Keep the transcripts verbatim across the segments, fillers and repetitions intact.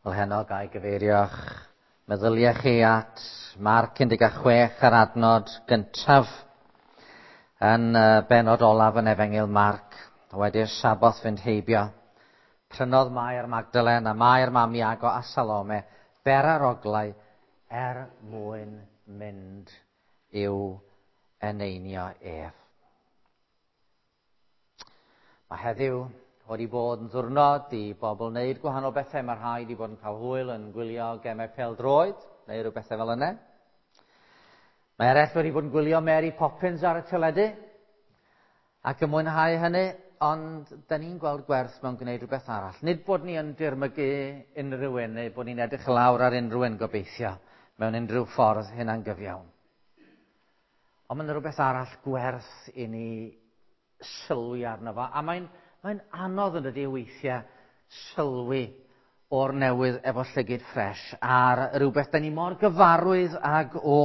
Wel heno ga i gyfeirio'ch meddyliau chi at Marc un deg chwech a'r adnod gyntaf yn benod olaf yn Efengyl Marc. Wedi'r Saboth fynd heibio, prynodd Mair Magdalen a Mair mam Iago a Salome beraroglau er mwyn mynd i'w eneinio ef. Mae heddiw wedi bod yn ddiwrnod i bobl wneud gwahanol bethau. Mae rhai wedi bod yn cael hwyl yn gwylio gemau pêl-droed neu rhyw bethau fel yna. Mae eraill wedi bod yn gwylio Mary Poppins ar y teledu ac yn mwynhau hynny, ond da ni'n gweld gwerth mewn gwneud rhywbeth arall. Nid bod ni yn dirmygu unrhyw un neu bod ni'n edrych lawr ar unrhyw un gobeithio mewn unrhyw ffordd hynna'n gyfiawn. Ond mae'n rhywbeth arall gwerth i ni sylwi arno fo. A mae'n mae'n anodd yn dydi weithiau sylwi o'r newydd efo llygid ffres ar rhywbeth da ni mor gyfarwydd ag o.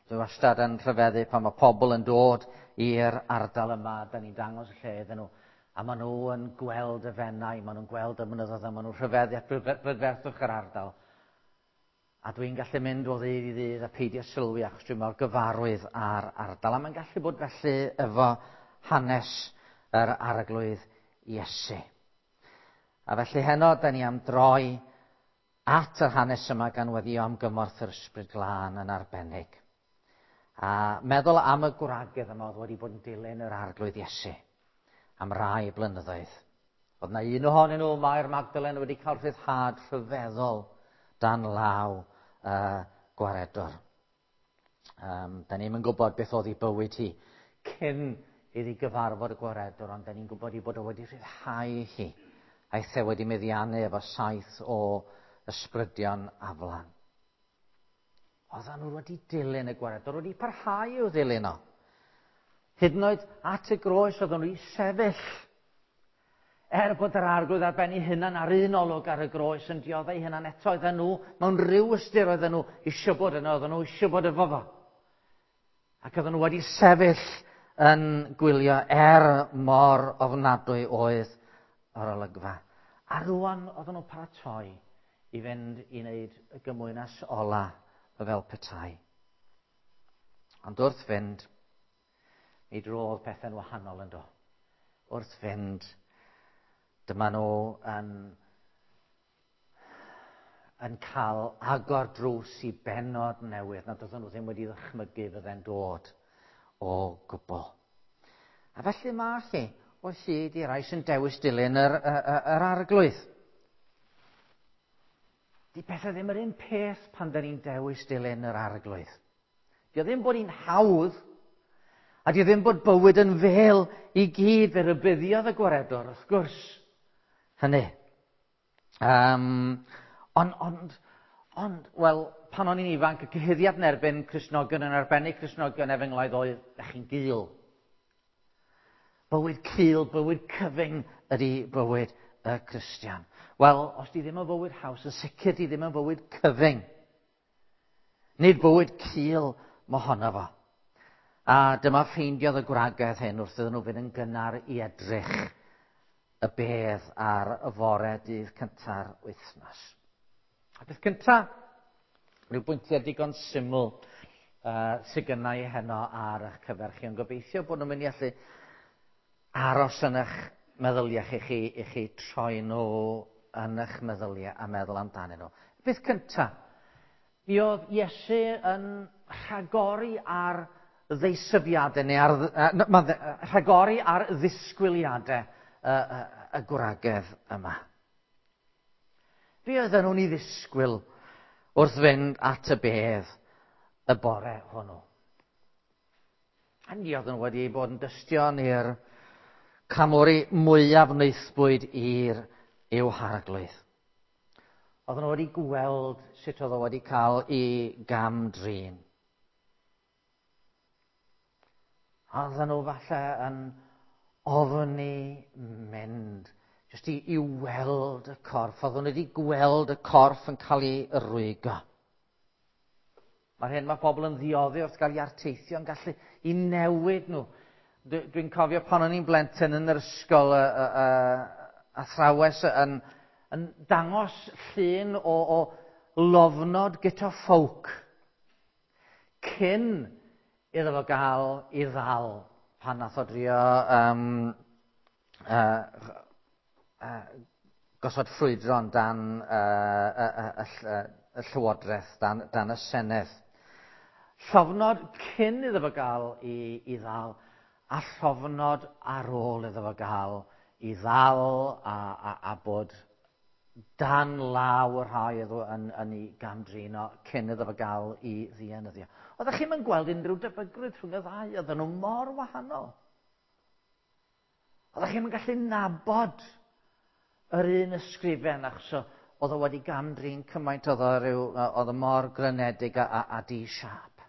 Dwi wastad yn rhyfeddu pan mae pobl yn dod i'r ardal yma, da ni'n dangos y lle iddyn nhw, a maen nhw yn gweld y Fenai, maen nhw'n gweld y mynyddoedd, a maen nhw'n rhyfeddu at brydferthwch yr ardal. A dwi'n gallu mynd o ddydd i ddydd a peidio sylwi achos dwi'n mor gyfarwydd â'r ardal. A mae'n gallu bod felly efo hanes yr Arglwydd Iesu. A felly heno, da ni am droi at yr hanes yma gan weddio am gymorth yr Ysbryd Glân yn arbennig. A meddwl am y gwragedd yma oedd wedi bod yn dilyn yr Arglwydd Iesu am rai blynyddoedd. Oedd na un ohonyn nhw, Mair Magdalen, wedi cael rhyddhad rhyfeddol dan law uh, gwaredwr. Um, da ni'm yn gwybod beth oedd ei bywyd hi cyn iddi gyfarfod y gwaredwr, ond da ni'n gwybod ei bod o wedi rhyddhau hi. Aeth e wedi meddiannu efo saith o ysbrydion aflan. Oedden nhw wedi dilyn y gwaredwr, wedi parhau i'w ddilyn o. Hyd yn oed at y groes oedden nhw i sefyll. Er bod yr Arglwydd ar ben ei hunan ar un olwg ar y groes yn dioddef ei hunan eto, oedden nhw, mewn rhyw ystyr oedden nhw eisiau bod yno, oedden nhw eisiau bod efo fo. Ac oedden nhw wedi sefyll yn gwylio er mor ofnadwy oedd yr olygfa. A rwan oedden nhw'n paratoi i fynd i wneud y gymwynas ola fel petai. Ond wrth fynd, mi drodd pethau'n wahanol yn do. Wrth fynd, dyma nhw yn, yn cael agor drws i bennod newydd nad oedden nhw ddim wedi ddychmygu fydde'n dod o gwbl. A felly mae chi o hyd i rai sy'n dewis dilyn yr, yr, yr Arglwydd. Di pethau ddim yr un peth pan da ni'n dewis dilyn yr Arglwydd. Di o ddim bod hi'n hawdd, a di o ddim bod bywyd yn fel i gyd, fe rybuddiodd y gwaredwr, wrth gwrs, hynny. Um, ond, ond, ond, wel, pan o'n i'n ifanc, y cyhuddiad yn erbyn Cristnogion, yn arbennig Cristnogion efengylaidd oedd, da chi'n gul. Bywyd cul, bywyd cyfyng ydy bywyd y Cristion. Wel, os di ddim yn fywyd haws, yn sicr di ddim yn fywyd cyfyng. Nid bywyd cul mohono fo. A dyma ffeindiodd y gwragedd hyn wrth iddyn nhw fynd yn gynnar i edrych y bedd ar y fore dydd cynta'r wythnos. A beth cynta, rhyw bwyntiau digon syml uh, sydd gynna i heno ar eich cyfer chi, ond gobeithio bod nhw'n mynd i allu aros yn eich meddyliau chi, chi, i chi troi nhw yn eich meddyliau a meddwl amdanyn nhw. Beth cynta, mi oedd Iesu yn rhagori ar ddeisyfiadau, neu ar, uh, rhagori ar ddisgwyliadau y, y, y gwragedd yma. Be oedden nhw'n ei ddisgwyl wrth fynd at y bedd y bore hwnnw? A ni oedden nhw wedi bod yn dystion i'r camori mwyaf wnaethbwyd i'r i'w Harglwydd. Oedden nhw wedi gweld sut oedd o wedi cael ei gam-drin. Oedden nhw falle yn ofni mynd, jyst i, i weld y corff. Oedden nhw wedi gweld y corff yn cael ei rwygo. Mae'r hyn mae pobl yn ddioddi wrth gael ei arteithio yn gallu i newid nhw. Dwi'n cofio pan o'n i'n blentyn yn yr ysgol, y, y, y, athrawes yn, yn dangos llun o, o lofnod Guto Ffowc cyn iddo fo gael ei ddal pan nath o drio um, uh, uh, gosod ffrwydron dan uh, y, y, y, y, y Llywodraeth, dan, dan y Senedd. Llofnod cyn iddo fo gael ei, ei ddal, a llofnod ar ôl iddo fo gael ei ddal a, a, a bod dan law y rhai oedd yn, yn ei gamdrin o cyn iddo fo gael ei ddienyddio. Oeddech chi'm yn gweld unrhyw debygrwydd rhwng y ddau, oedden nhw mor wahanol. Oeddech chi'm yn gallu nabod yr un ysgrifen, achos oedd o wedi gamdrin cymaint, oedd o ryw, oedd o mor grynedig a, a, a di-siâp.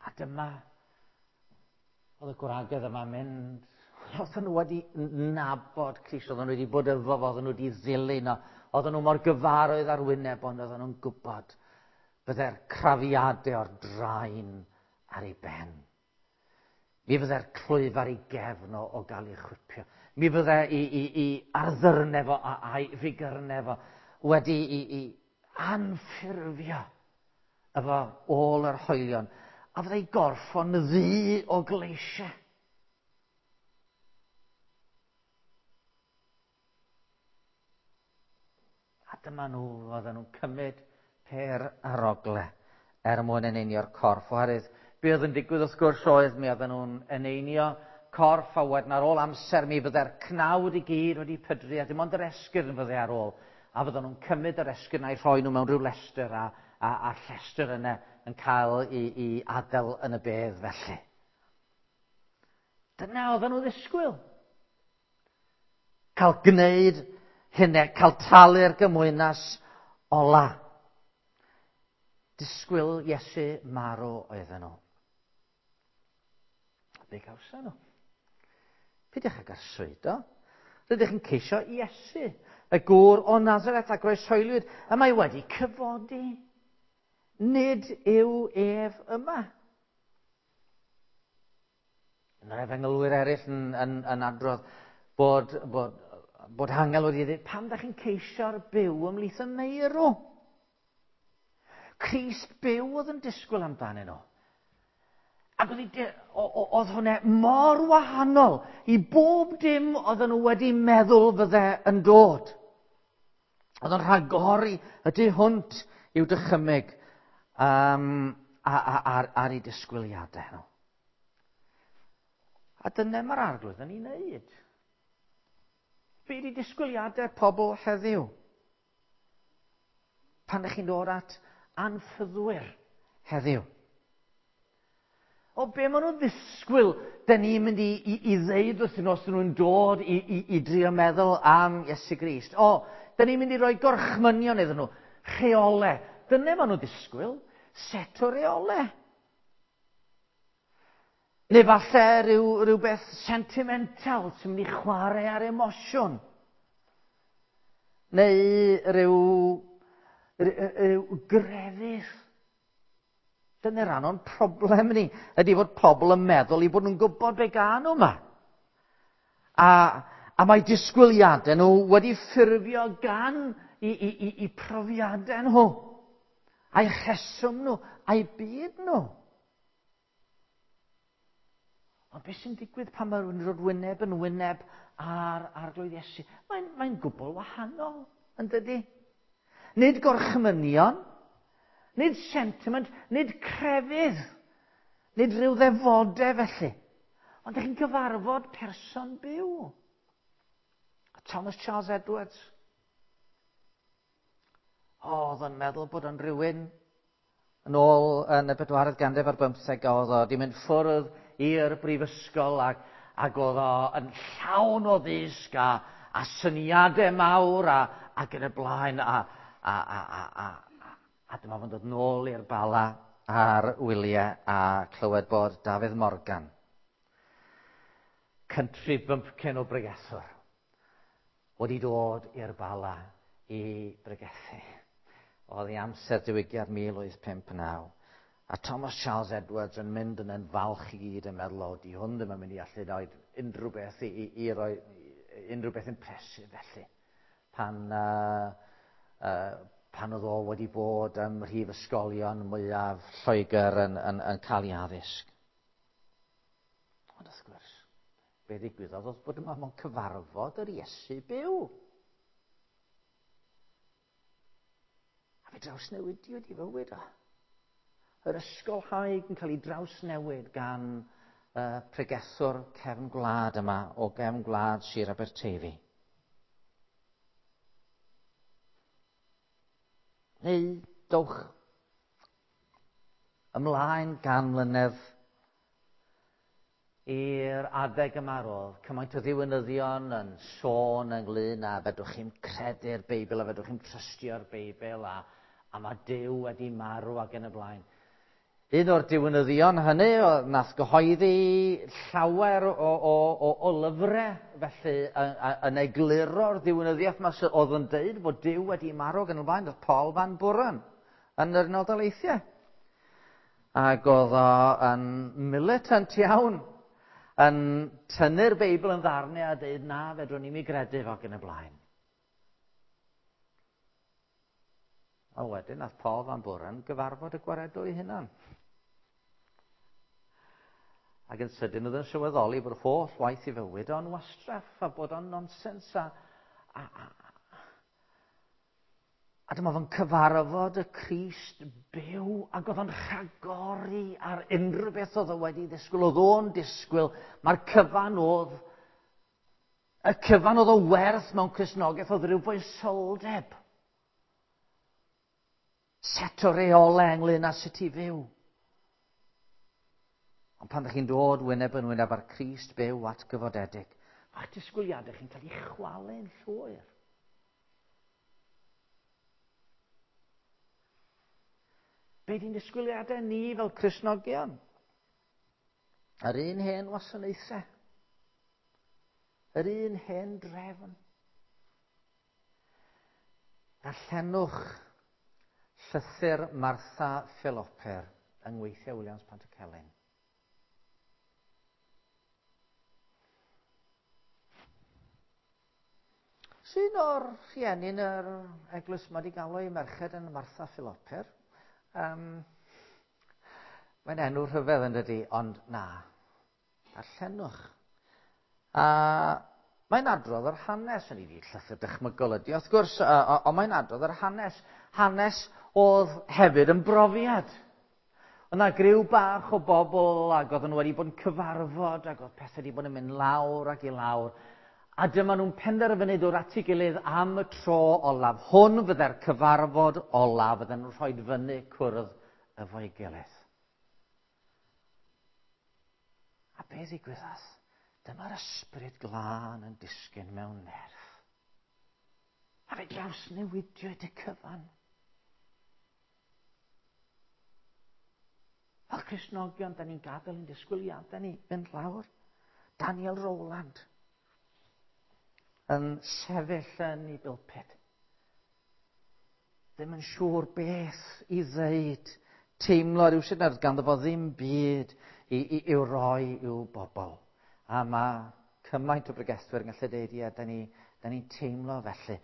A dyma, oedd y gwragedd yma'n mynd, oedden nhw wedi nabod Crist, oedden nhw wedi bod efo fo, oedden nhw wedi ddilyn o, oedden nhw mor gyfarwydd ar wyneb, ond oedden nhw'n gwybod bydde'r crafiadau o'r draen ar ei ben. Mi fydde'r clwyf ar ei gefn o, o gael ei chwipio. Mi fydde i, i, i arddyrnau fo a'i figyrnau fo wedi i, i anffurfio efo ôl yr hoelion. A fydde ei gorff o'n ddu o gleisiau. A dyma nhw, oedden nhw'n cymryd per arogle er mwyn eneinio'r corff. Oherwydd be oedd yn digwydd wrth gwrs oedd mi oedden nhw'n eneinio corff, a wedyn ar ôl amser mi fydde'r cnawd i gyd wedi pydru a dim ond yr esgyrn fydde ar ôl. A fydden nhw'n cymryd yr esgyrn a'i rhoi nhw mewn rhyw lestr a, a, a'r llestr yna yn cael ei, ei adael yn y bedd felly. Dyna oedden nhw ddisgwyl. Cael gwneud hynny, cael talu'r gymwynas ola. Disgwyl Iesu marw oedden nhw. Be gawson nhw? Peidiwch ag arswydo. Rydych yn ceisio Iesu, y gŵr o Nazareth a groeshoeliwyd, y mae wedi cyfodi. Nid yw ef yma. Yna'r efengylwyr eraill yn, yn, yn adrodd bod, bod, bod angel wedi dweud, pam ydych chi'n ceisio'r byw ymhlith y meirw? Crist byw oedd yn disgwyl amdanyn nhw. Ac oedd, oedd hwnna mor wahanol i bob dim oedden nhw wedi meddwl fydde yn dod. Oedd o'n rhagori y tu hwnt i'w dychymyg um, a, a, ar, ar eu disgwyliadau nhw. A dyna mae'r Arglwydd yn ei wneud. Be ydi disgwyliadau pobl heddiw? Pan ydych chi'n dod at anffyddwyr heddiw. O, be maen nhw'n ddisgwyl, da ni'n mynd i, i, i ddeud wrthyn nhw os nhw'n dod i, i, i drio meddwl am Iesu Grist. O, da ni'n mynd i roi gorchmynion iddyn nhw, rheolau. Dyna maen nhw'n ddisgwyl, set o reolau. Neu falle rhyw, rhywbeth sentimental sy'n mynd i chwarae ar emosiwn. Neu rhyw, rhyw, rhyw grefydd. Dyna rhan o'n problem ni, ydy fod pobl yn meddwl i bod nhw'n gwybod be gan nhw yma. A, a mae disgwyliadau nhw wedi ffurfio gan i, i, i, i profiadau nhw, a'i rheswm nhw, a'i byd nhw. Ond beth sy'n digwydd pan mae rhywun yn dod wyneb yn wyneb ar Arglwydd Iesu? Mae'n, mae'n gwbl wahanol, yn dydy? Nid gorchmynion, nid sentiment, nid crefydd, nid rhyw ddefodau felly. Ond ydych chi'n gyfarfod person byw. Thomas Charles Edwards. O, oedd o'n meddwl bod o'n rhywun yn ôl yn y bedwaredd ganrif ar bymtheg, oedd o wedi mynd ffwrdd i'r brifysgol ac, ac oedd o yn llawn o ddysg a, a syniadau mawr a, ac yn y blaen a, a, a, a, a, a dyma fo'n dod nôl i'r Bala ar wyliau a clywed bod Dafydd Morgan, country bumpkin o bregethwr, wedi dod i'r Bala i bregethu. Oedd ei amser diwygiad mil wyth pump naw. A Thomas Charles Edwards yn mynd yn yn falch i gyd yn meddwl, o, di hwn ddim yn mynd i allu rhoi unrhyw beth i, i, i, roi, unrhyw beth impressive felly. Pan, uh, uh, pan oedd o wedi bod ym mhrifysgolion mwyaf Lloegr yn, yn, yn cael ei addysg. Ond wrth gwrs, be ddigwyddodd oedd bod yma mewn cyfarfod yr Iesu byw. A fe drawsnewidiwyd i fywyd o. Yr ysgolhaig yn cael ei drawsnewid gan uh, pregethwr cefn gwlad yma o gefn gwlad Sir Aberteifi. Neu dowch ymlaen gan mlynedd i'r adeg yma roedd cymaint o ddiwinyddion yn sôn ynglyn â fedrwch chi'n credu'r Beibl a fedrwch chi'n trystio'r Beibl a, a mae Duw wedi marw ac yn y blaen. Un o'r diwinyddion hynny nath gyhoeddi llawer o, o, o, o lyfrau, felly yn egluro'r ddiwinyddiaeth yma oedd yn deud bod Duw wedi marw ac yn y blaen, oedd Paul Van Buren yn yr Unol Daleithiau. Ac oedd o yn militant iawn, yn tynnu'r Beibl yn ddarnau a deud na, fedrwn ni'm i gredu fo ac yn y blaen. A wedyn nath Paul Van Buren gyfarfod y gwaredwr ei hunan. Ac yn sydyn oedd yn sylweddoli bod holl waith i fywyd o'n wastraff a bod o'n nonsens a, a, a, a dyma fo'n cyfarfod y Crist byw ac oedd o'n rhagori ar unrhyw beth oedd o wedi ddisgwyl. Oedd o'n disgwyl, mae'r cyfan oedd, y cyfan oedd o werth mewn Cristnogaeth oedd rhyw foesoldeb. Set o reolau ynglyn â sut i fyw. Ond pan ydych chi'n dod wyneb yn wyneb ar Crist byw atgyfodedig, mae'ch disgwyliadau chi'n cael eu chwalu'n llwyr. Be di'n disgwyliadau ni fel Cristnogion? Yr un hen wasanaethau. Yr un hen drefn. Darllenwch llythyr Martha Philopper yng ngweithiau Williams Pantycelyn. Sy'n o'r rhieni yn yr eglwys yma wedi galw eu merched yn Martha Philopper? Um, mae'n enw rhyfedd yn dydi, ond na, darllenwch. A mae'n adrodd yr hanes, yn ei llythyr dychmygol ydi, wrth gwrs, ond mae'n adrodd yr hanes. Hanes oedd hefyd yn brofiad. Oedd yna griw bach o bobl ac oedden nhw wedi bod yn cyfarfod ac oedd pethau wedi bod yn mynd lawr ac i lawr. A dyma nhw'n penderfynu dod at ei gilydd am y tro olaf. Hwn fydde'r cyfarfod olaf, fydden nhw'n rhoi fyny cwrdd efo'i gilydd. A be ddigwyddodd? Dyma'r ysbryd glân yn disgyn mewn nerth. A fe drawsnewidiwyd y cyfan. Fel Cristnogion, da ni'n gadael ein disgwyliadau ni fynd lawr. Daniel Rowland yn sefyll yn ei bulpud. Ddim yn siŵr beth i ddeud. Teimlo rhywsut nad ganddo fo ddim byd i, i, i'w roi i'w bobl. A mae cymaint o bregethwyr yn gallu deud, ie, da ni'n ni teimlo felly.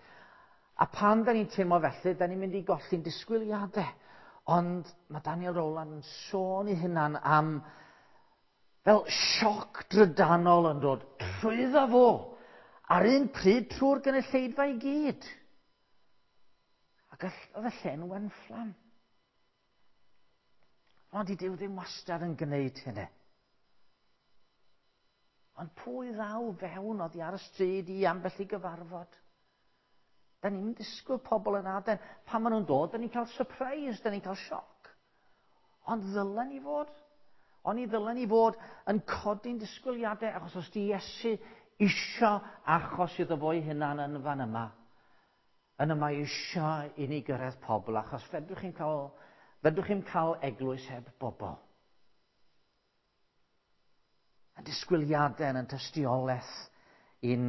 A pan da ni'n teimlo felly, da ni'n mynd i golli'n disgwyliadau. Ond mae Daniel Rowland yn sôn ei hunan am fel sioc drydanol yn dod trwyddo fo. Ar un pryd trwy'r gynulleidfa i gyd. Ac oedd y lle'n wenfflam. Ond i Duw ddim wastad yn gwneud hynny. Ond pwy ddaw fewn oddi ar y stryd i ambell i gyfarfod? Da ni'n disgwyl pobl yn aden. Pan maen nhw'n dod, da ni'n cael surprise, da ni'n cael sioc. Ond ddylen ni fod? Ond i ddylen ni fod yn codi'n disgwyliadau, achos os di Iesu isio achos iddo fo'i hunan yn fan yma, yn yma isio i ni gyrraedd pobl, achos fedrwch chi'n cael, fedrwch chi'n cael eglwys heb bobl. Yn disgwyliadau yn tystiolaeth i'n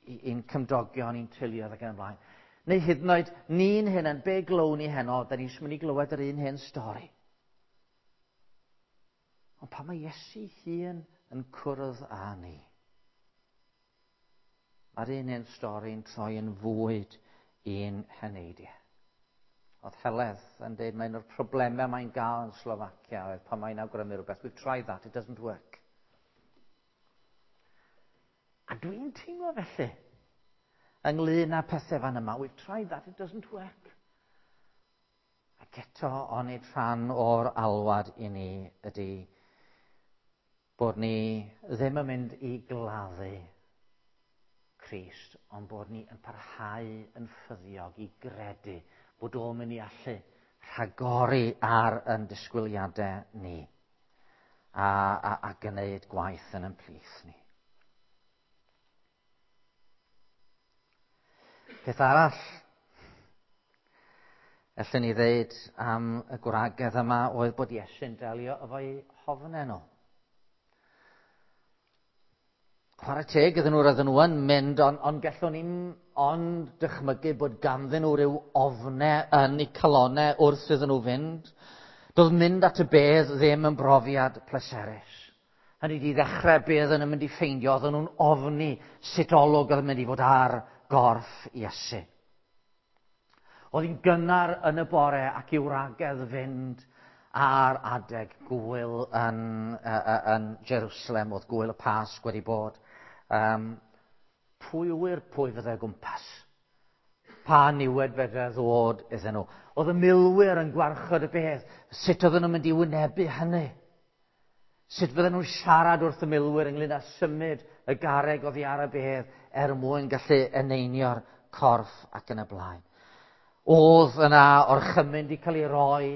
i'n cymdogion, i'n teuluoedd ac yn y blaen. Neu hyd yn oed ni'n hunan, be glown ni heno, da ni'n mynd i glywed yr un hen stori. Ond pan mae Iesu hun yn cwrdd â ni, Mae'r un un stori'n troi yn fwyd i'n heneidiau. Oedd Heledd yn dweud mae un o'r problemau mae'n gael yn Slofacia oedd pan mae'n awgrymu rhywbeth. We've tried that, it doesn't work. A dwi'n teimlo felly ynglyn â pethau fan yma. We've tried that, it doesn't work. Ac eto, onid rhan o'r alwad i ni ydy bod ni ddim yn mynd i gladdu Crist, ond bod ni yn parhau yn ffyddiog i gredu bod o'n mynd i allu rhagori ar yn disgwyliadau ni a, a, a gwneud gwaith yn ein plith ni. Peth arall allwn ni ddeud am y gwragedd yma oedd bod Iesu'n delio efo'u hofnau nhw. Chwarae teg iddyn nhw, roedden nhw yn mynd, ond on gallwn ni'n ond dychmygu bod ganddyn nhw rhyw ofnau yn eu calonnau wrth iddyn nhw fynd. Doedd mynd at y bedd ddim yn brofiad pleserus. Hynny di ddechrau be oedden nhw'n mynd i ffeindio, oedden nhw'n ofni sut olwg oedd yn mynd i fod ar gorff Iesu. Oedd hi'n gynnar yn y bore ac i'w wragedd fynd ar adeg gwyl yn, uh, yn Jerusalem, oedd gwyl y Pasg wedi bod. Um, pwy ŵyr pwy fyddai o gwmpas? Pa niwed fedrai ddod iddyn nhw? Oedd y milwyr yn gwarchod y bedd. Sut oedden nhw'n mynd i wynebu hynny? Sut fydden nhw'n siarad wrth y milwyr ynglyn â symud y garreg oddi ar y bedd er mwyn gallu eneinio'r corff ac yn y blaen? Oedd yna orchymyn wedi cael ei roi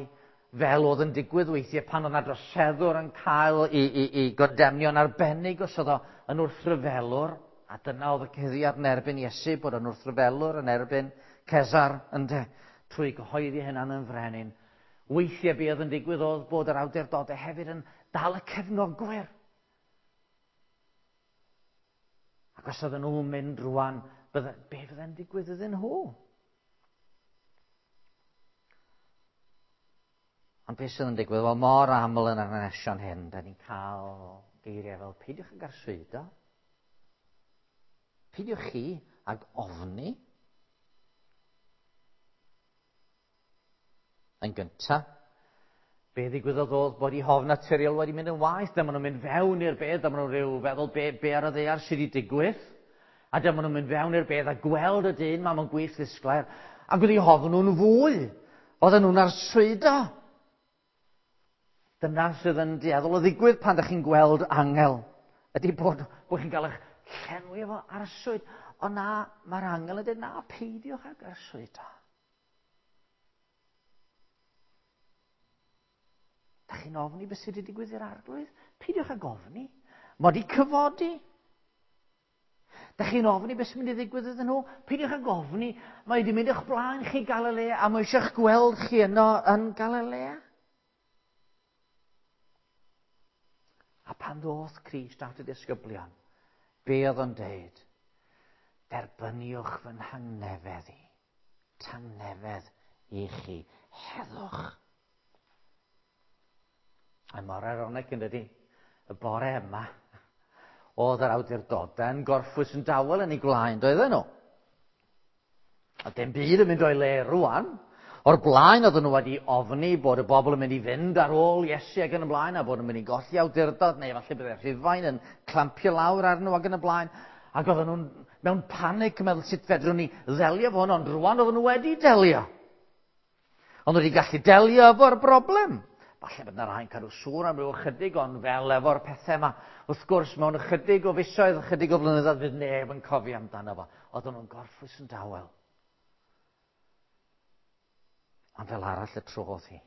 fel oedd yn digwydd weithiau pan oedd yna droseddwr yn cael ei, ei, ei gondemnio'n arbennig os oedd o yn wrthryfelwr, a dyna oedd y cyhuddiad yn erbyn Iesu, bod o'n wrthryfelwr yn erbyn Cesar, ynde, trwy gyhoeddi hynna'n yn frenin. Weithiau be oedd yn digwydd oedd bod yr awdurdodau hefyd yn dal y cefnogwyr. Ac os oedden nhw'n mynd rwan, bydde, be fydde'n digwydd iddyn nhw? Ond beth sydd yn digwydd? Wel, mor aml yn yr hanesion hyn, da ni'n cael geiriau fel peidiwch ag arswydo, peidiwch chi ag ofni. Yn gyntaf, be ddigwyddodd oedd bod eu hofn naturiol wedi mynd yn waeth. Dyma nhw'n mynd fewn i'r bedd, dyma nhw'n rhyw feddwl be, be ar y ddaear sydd wedi digwydd. A dyma nhw'n mynd fewn i'r bedd a gweld y dyn ma mewn gwisg ddisglair. Ac wedi hofn nhw'n fwy. Oedden nhw'n arswydo. Dyna sydd yn dueddol o ddigwydd pan ydych chi'n gweld angel. Ydy bod, bod chi'n cael eich llenwi efo arswyd. Ond na, mae'r angel yn dweud, na, peidiwch ag arswydo. Da chi'n ofni beth sydd wedi digwydd i'r arglwydd? Peidiwch ag ofni. Mae wedi cyfodi. Da chi'n ofni beth sy'n mynd i ddigwydd iddyn nhw? Peidiwch ag ofni. Mae wedi mynd o'ch blaen chi Galilea a mae eisiau'ch gweld chi yno yn Galilea. A pan ddoth Crist at y disgyblion, be oedd o'n deud? Derbyniwch fy nhangnefedd i. Tangnefedd i chi. Heddwch. A mor ironic yn dydi, y bore yma, oedd yr awdurdodau yn gorffwys yn dawel yn ei gwlaen, doedden nhw? A dim byd yn mynd o'i le rwan. O'r blaen oedden nhw wedi ofni bod y bobl yn mynd i fynd ar ôl Iesu ac yn y blaen, a bod yn mynd i golli awdurdod, neu falle byddai Rhufain yn clampio lawr arnyn nhw ac yn y blaen. Ac oedden nhw'n mewn panic yn meddwl sut fedrwn ni ddelio efo hwn, ond rwan oedden nhw wedi delio. Ond wedi gallu delio efo'r broblem. Falle bod yna rhai'n cadw sŵn am ryw ychydig, ond fel efo'r pethau yma, wrth gwrs, mewn ychydig o fisoedd, ychydig o flynyddoedd, fydd neb yn cofio amdano fo. Oedden nhw'n gorffwys yn dawel. Ond fel arall y trodd hi.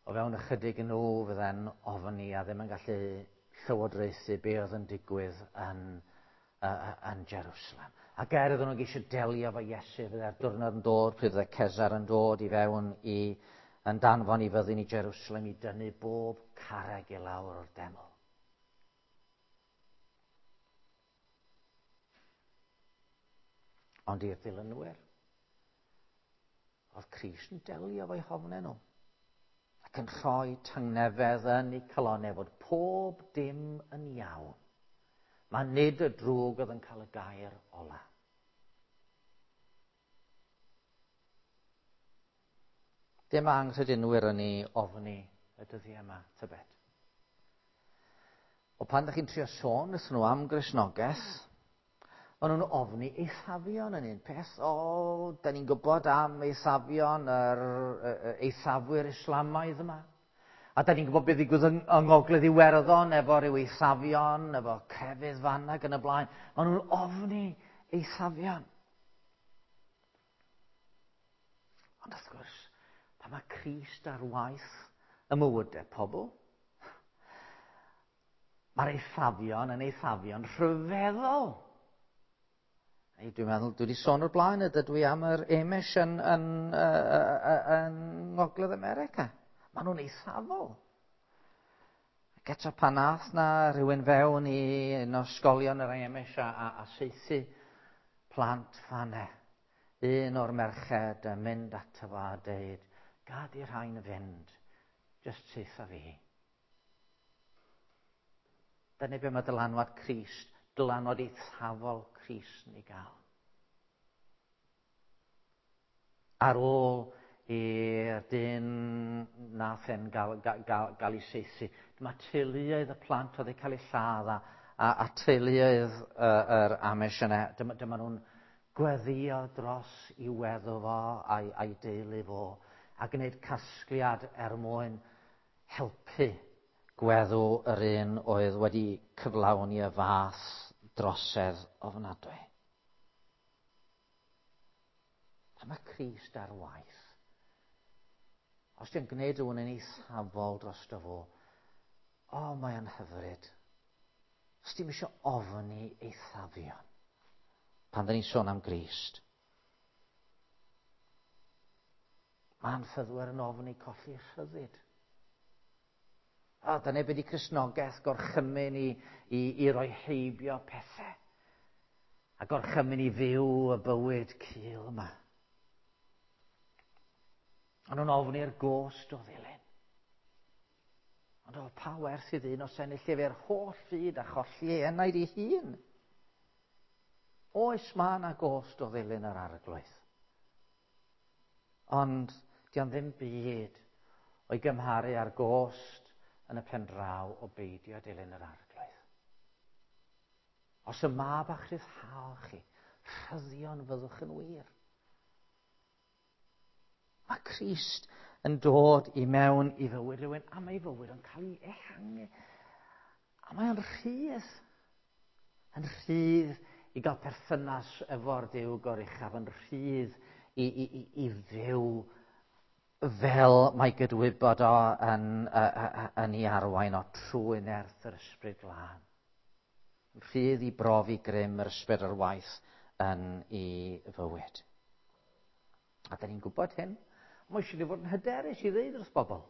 O fewn ychydig yn nhw fydde'n ofni a ddim yn gallu llywodraethu be oedd yn digwydd yn, uh, yn Jerusalem. Ac er iddyn nhw geisio delio efo Iesu, fydde'r diwrnod yn dod, pryd fydde Cesar yn dod i fewn i yn danfon i fyddin i Jerusalem i dynnu bob carreg i lawr o'r deml. Ond i'r dilynwyr, oedd Crist yn delio efo'u hofnau nhw ac yn rhoi tangnefedd yn eu calonnau fod pob dim yn iawn. Mae nid y drwg oedd yn cael y gair ola. Dim anghredinwyr yn ei ofni y dyddiau yma, tybed. O pan ydych chi'n trio sôn wrthyn nhw am Gristnogaeth, maen nhw'n ofni eithafion yn un peth. O, da ni'n gwybod am eithafion, yr eithafwyr Islamaidd yma. A da ni'n gwybod beth ddigwydd yng, yng Ngogledd Iwerddon efo rhyw eithafion, efo crefydd fan ac yn y blaen. Maen nhw'n ofni eithafion. Ond wrth gwrs, pan mae Crist ar waith y mywydau pobl, mae'r eithafion yn eithafion rhyfeddol. Ei, dwi'n meddwl, dwi wedi sôn o'r blaen y dydw i am yr Amish yn, yn, yn, yn Ngogledd America. Maen nhw'n eithafol. Ac eto pan nath na rhywun fewn i un o ysgolion yr Amish a, a, a saethu plant fanne, un o'r merched yn mynd ato fo a deud, gad i'r rhain fynd, jyst saetha fi. Dyna be mae dylanwad Crist, dylanwad eithafol Crist yn ei gael. Ar ôl i'r dyn nath e'n gael, gael, gael, gael ei saethu, dyma teuluoedd y plant oedd eu cael eu lladd a, a, a teuluoedd uh, yr Amish yna, dyma, dyma nhw'n gweddio dros i weddw fo a'i, a'i deulu fo a gwneud casgliad er mwyn helpu gweddw yr un oedd wedi cyflawni y fath drosedd ofnadwy. A mae Crist ar waith. Os di'n gwneud rhywun yn eithafol drosto fo, o, mae o'n hyfryd. Os dim eisiau ofni eithafion pan dyn ni'n sôn am Grist. Mae'n ffyddwyr yn ofni colli rhyddid. O, dyna be di Cristnogaeth, gorchymyn i, i, i roi heibio pethau. A gorchymyn i fyw y bywyd cul yma. Ond nhw'n ofni'r gost o ddilyn. Ond o, pa werth i ddyn os ennill efo'r holl fyd a cholli ei enaid ei hun? Oes mae yna gost o ddilyn yr Arglwydd. Ond dio'n ddim byd o'i gymharu â'r gost yn y pen draw o beidio dilyn yr Arglwydd. Os y mab a'ch rhyddhao chi, rhyddion fyddwch yn wir. Mae Crist yn dod i mewn i fywyd rhywun, a mae ei fywyd yn cael ei ehangu. A mae o'n rhydd. Yn rhydd i gael perthynas efo'r Duw goruchaf, yn rhydd i, i, i, i fyw fel mae gydwybod o yn, yn ei arwain o trwy nerth yr Ysbryd Glân. Yn rhydd i brofi grym yr Ysbryd ar waith yn ei fywyd. A da ni'n gwybod hyn. Mae eisiau ni fod yn hyderus i ddeud wrth bobl.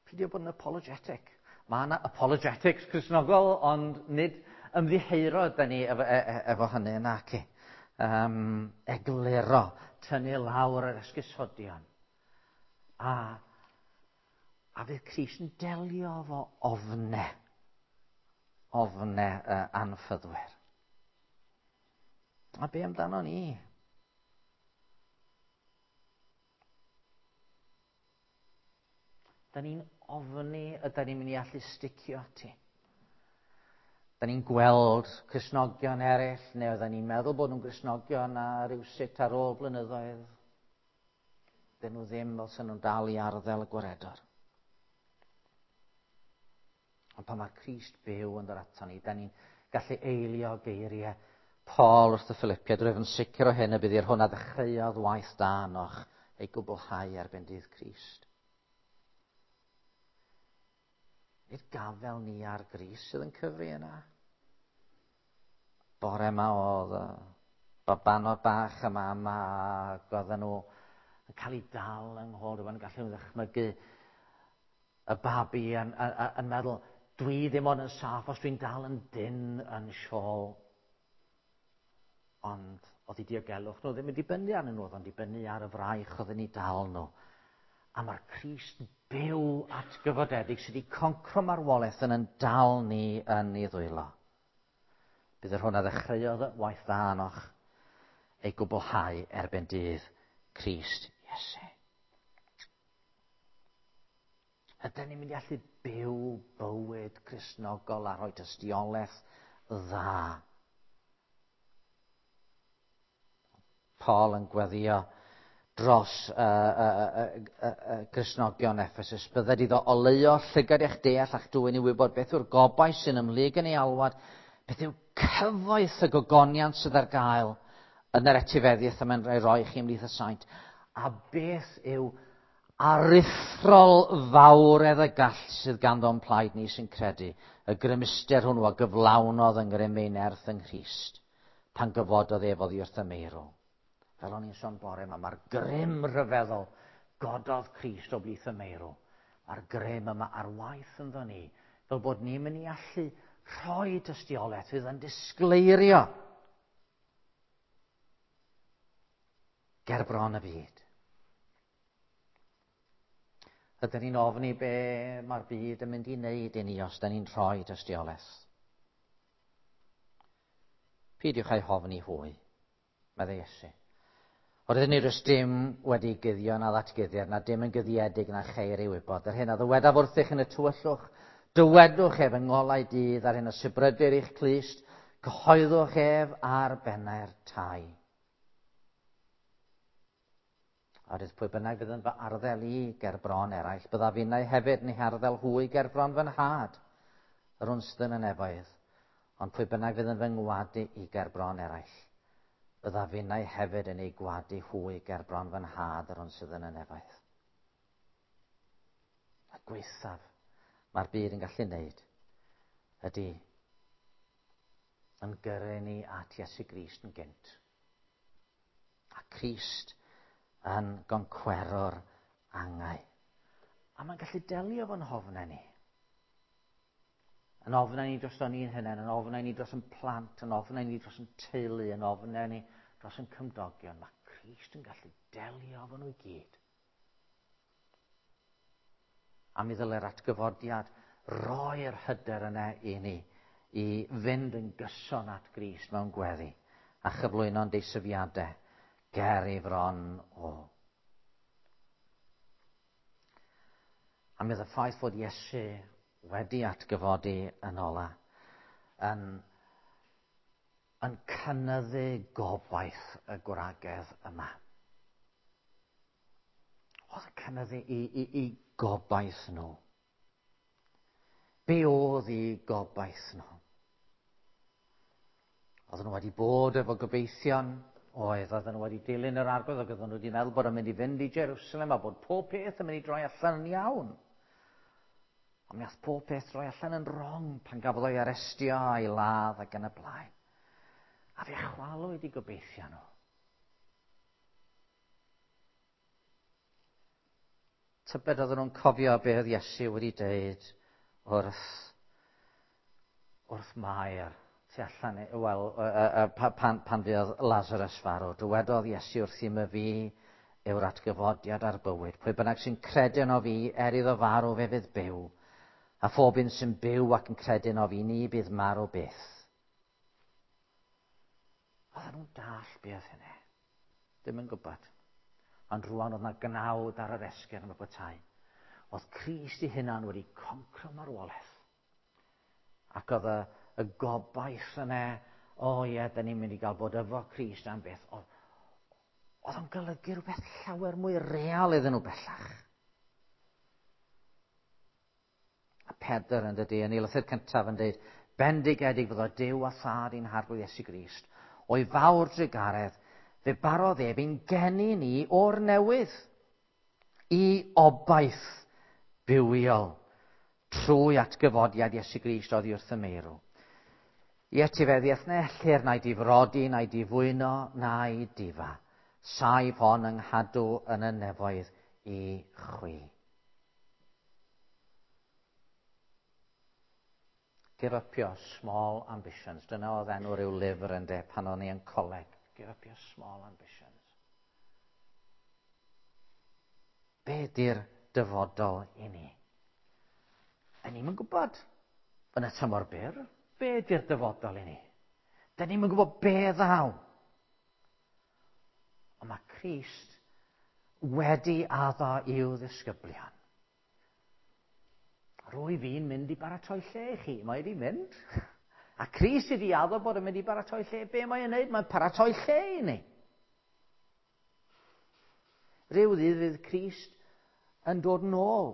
Peidio bod yn apologetic. Mae yna apologetics Cristnogol, ond nid ymddiheuro da ni efo, e, e, efo hynny naci. Um, egluro, tynnu lawr yr esgusodion. A, a fydd Crist yn delio efo ofne, ofne uh, anffyddwyr. A be amdano ni? Da ni'n ofni yda ni'n mynd i allu sticio ati. Da ni'n gweld Cristnogion eraill, neu oedden ni'n meddwl bod nhw'n Gristnogion a rhywsut ar ôl blynyddoedd. Dyn nhw ddim fel sy'n nhw'n dal i arddel y gwaredwr. Ond pan mae Crist byw yn dod ato ni, da ni'n gallu eilio geiriau Paul wrth y Philippiaid, rwyf yn sicr o hyn y bydd i'r hwn a ddechreuodd waith da anoch ei gwblhau erbyn dydd Crist. Nid gafel ni ar Grist sydd yn cyfri yna. Bore yma oedd y babanod bach yma yma, ac oedden nhw yn cael eu dal yng nghôl rhywun, gallu nhw ddychmygu y babi yn, yn, yn meddwl, dwi ddim ond yn saff os dwi'n dal yn dyn yn siôl. Ond oedd eu diogelwch nhw ddim yn dibynnu arnyn nhw, oedd o'n dibynnu ar y fraich oedd yn eu dal nhw. A mae'r Crist byw atgyfodedig sydd wedi concro marwolaeth yn yn dal ni yn ei ddwylo. Bydd yr hwn a ddechreuodd waith dda anoch ei gwblhau erbyn dydd Crist Iesu. Ydyn ni'n mynd i allu byw bywyd Cristnogol a rhoi tystiolaeth dda? Paul yn gweddio dros uh, uh, uh, uh, uh, Gristnogion Ephesus. Bydded iddo oleuo llygad eich deall a'ch dwyn i wybod beth yw'r gobaith sy'n ymhlyg yn ei alwad, beth yw cyfoeth y gogoniant sydd ar gael yn yr etifeddiaeth y mae'n rhoi chi ymhlith y saint, a beth yw aruthrol fawredd y gall sydd ganddo'n plaid ni sy'n credu, y grymuster hwnnw a gyflawnodd yng ngrym ei nerth yng Nghrist, pan gyfododd ef oddi wrth y meirw. Fel o'n i'n sôn bore yma, mae'r grym rhyfeddol gododd Crist o blith y meirw. Mae'r grym yma ar waith ynddo ni, fel bod ni'n mynd i allu rhoi tystiolaeth fydd yn disgleirio ger bron y byd. Ydyn ni'n ofni be mae'r byd yn mynd i wneud i ni os da ni'n rhoi tystiolaeth? Peidiwch â'i hofni hwy, meddai Iesu. Oherwydd nid oes dim wedi guddio na ddatguddiad, na dim yn guddiedig na cheir ei wybod. Yr hyn a ddywedaf wrthych yn y tywyllwch, dywedwch ef yng ngolau dydd, a'r hyn a sibrydir i'ch clust, cyhoeddwch ef ar bennau'r tai. Oherwydd pwy bynnag fydd yn fy arddel i ger bron eraill, byddaf innau hefyd yn eu harddel hwy ger bron fy nhad, yr hwn sydd yn y nefoedd. Ond pwy bynnag fydd yn fy ngwadu i ger bron eraill, byddaf innau hefyd yn ei gwadu hwy ger bron fy nhad, yr hwn sydd yn y nefoedd. A gwaethaf mae'r byd yn gallu wneud ydy yn gyrru ni at Iesu Grist yn gynt. A Crist yn goncwerwr angau. A mae'n gallu delio fo'n hofnau ni. Yn ofnau ni dros ni'n hunain, yn ofnau ni dros yn plant, yn ofnau ni dros yn teulu, yn ofnau ni dros yn cymdogion. Mae Crist yn gallu delio efo nhw i gyd. A mi ddyle'r atgyfodiad roi'r hyder yna i ni i fynd yn gyson at Grist mewn gweddi a chyflwyno'n deisyfiadau ger ei fron o. A mi oedd y ffaith fod Iesu wedi atgyfodi yn ola yn, yn cynyddu gobaith y gwragedd yma. Oedd yn cynyddu i, i, i gobaith nhw. Be oedd i gobaith nhw? Oedden nhw wedi bod efo gobeithion, oedd, oedden nhw wedi dilyn yr arglwydd, ac oedden nhw wedi meddwl bod yn mynd i fynd i Jerusalem a bod pob peth yn mynd i droi allan yn iawn. Ond mi ath pob peth droi allan yn wrong pan gafodd o'i arestio a'i ladd ac yn y blaen. A fe chwalwyd i gobeithio nhw. Tybed oedden nhw'n cofio be oedd Iesu wedi dweud wrth, wrth Mair tu allan, wel, pan, pan fuodd Lazarus farw. Dywedodd Iesu wrthym y fi yw'r atgyfodiad a'r bywyd. Pwy bynnag sy'n credu yno fi, er iddo farw fe fydd byw. A phob un sy'n byw ac yn credu yno fi, ni bydd marw byth. Oedden nhw'n dall be oedd hynny. Ddim yn gwybod. Ond rwan oedd yna gnawd ar yr esgyrn y bwytai. Oedd Crist ei hunan wedi concro marwolaeth. Ac oedd y, y gobaith yna, o ie, da ni'n mynd i gael bod efo Crist am beth. Oedd, oedd o'n golygu rhywbeth llawer mwy real iddyn nhw bellach. A Pedr yn dydy, yn ei lythyr cyntaf yn dweud, bendigedig fyddo Duw a Thad i'n Harglwydd Iesu Grist, o'i fawr drugaredd, fe barodd ef i'n geni ni o'r newydd i obaith bywiol trwy atgyfodiad Iesu Grist oddi wrth y meirw. I etifeddiaeth na ellir na'i difrodi, na'i difwyno, na'i difa. Saif hon yng nghadw yn y nefoedd i chwi. Give up your small ambitions. Dyna oedd enw rhyw lyfr yn de pan o'n i yn coleg. Give up your small ambitions. Be di'r dyfodol i ni? A ni'm yn gwybod yn y tymor byr be ydy'r dyfodol i ni. Da ni'm yn gwybod be ddaw. Ond mae Crist wedi addo i'w ddisgyblion. Rwy fi'n mynd i baratoi lle i chi. Mae wedi mynd. A Crist wedi addo bod yn mynd i baratoi lle. Be mae'n wneud? Mae'n paratoi lle i ni. Rhyw ddydd fydd Crist yn dod nôl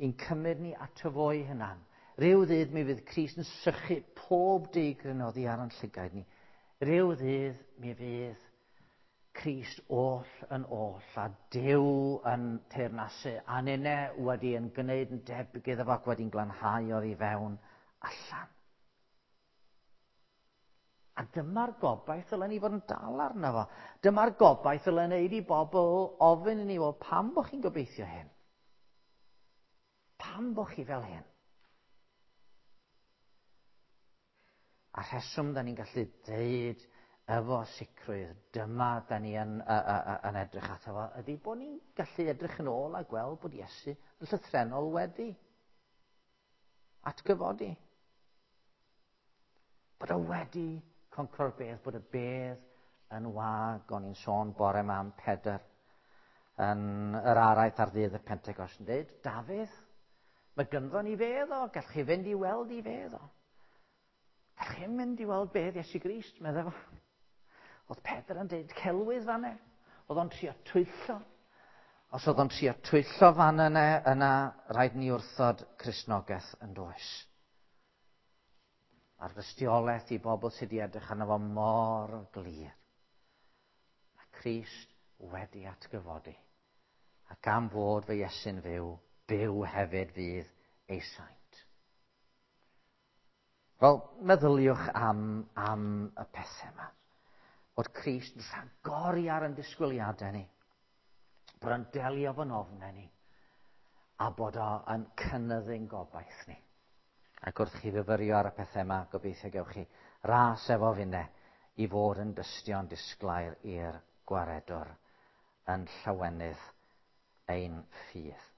i'n cymryd ni ato fo'i hunan. Rhyw ddydd mi fydd Crist yn sychu pob digryn oddi ar ein llygaid ni. Rhyw ddydd mi fydd Crist oll yn oll a Duw yn teyrnasu a ninne wedi yn gwneud yn debyg iddo fo ac wedi'n glanhau oddi fewn allan. A dyma'r gobaith ddylen ni fod yn dal arno fo. Dyma'r gobaith ddylen neud i bobl ofyn i ni, wel, pam bo chi'n gobeithio hyn? Pam bo chi fel hyn? A rheswm da ni'n gallu deud efo sicrwydd, dyma da ni yn, uh, uh, yn edrych ato fo, ydy bod ni'n gallu edrych yn ôl a gweld bod Iesu yn llythrennol wedi atgyfodi. Bod o wedi concro'r bedd, bod y bedd yn wag. O'n i'n sôn bore yma am Pedr yn yr araith ar ddydd y Pentecost yn dweud, Dafydd, mae gynddo ni fedd o, gallwch chi fynd i weld i fedd o. Gallwch chi mynd i weld bedd Iesu Grist, meddai fo. Oedd Pedr yn dweud celwydd fan e. Oedd o'n trio twyllo. Os oedd o'n trio twyllo fan yna, yna rhaid ni wrthod Cristnogaeth yn does. A'r dystiolaeth i bobl sydd wedi edrych arno fo mor glir. Mae Crist wedi atgyfodi. Ac am fod fy Iesu'n fyw, byw hefyd fydd ei saint. Wel, meddyliwch am, am y pethau yma. Bod Crist yn rhagori ar ein disgwyliadau ni. Bod o'n delio fo'n ofnau ni. A bod o'n cynyddu'n gobaith ni. Ac wrth chi fyfyrio ar y pethau yma, gobeithio gewch chi ras efo finne i fod yn dystion disglair i'r gwaredwr yn llawenydd ein ffydd.